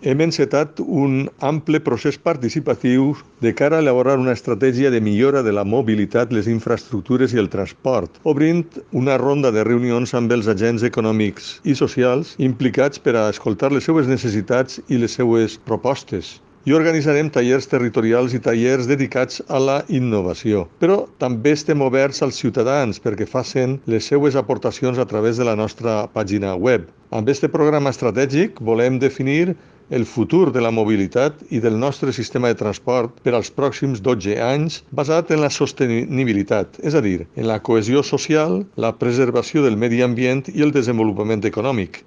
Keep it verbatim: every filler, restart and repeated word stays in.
Hem encetat un ample procés participatiu de cara a elaborar una estratègia de millora de la mobilitat, les infraestructures i el transport, obrint una ronda de reunions amb els agents econòmics i socials implicats per a escoltar les seues necessitats i les seues propostes. I organitzarem tallers territorials i tallers dedicats a la innovació. Però també estem oberts als ciutadans perquè facin les seues aportacions a través de la nostra pàgina web. Amb aquest programa estratègic volem definir el futur de la mobilitat i del nostre sistema de transport per als pròxims dotze anys basat en la sostenibilitat, és a dir, en la cohesió social, la preservació del medi ambient i el desenvolupament econòmic.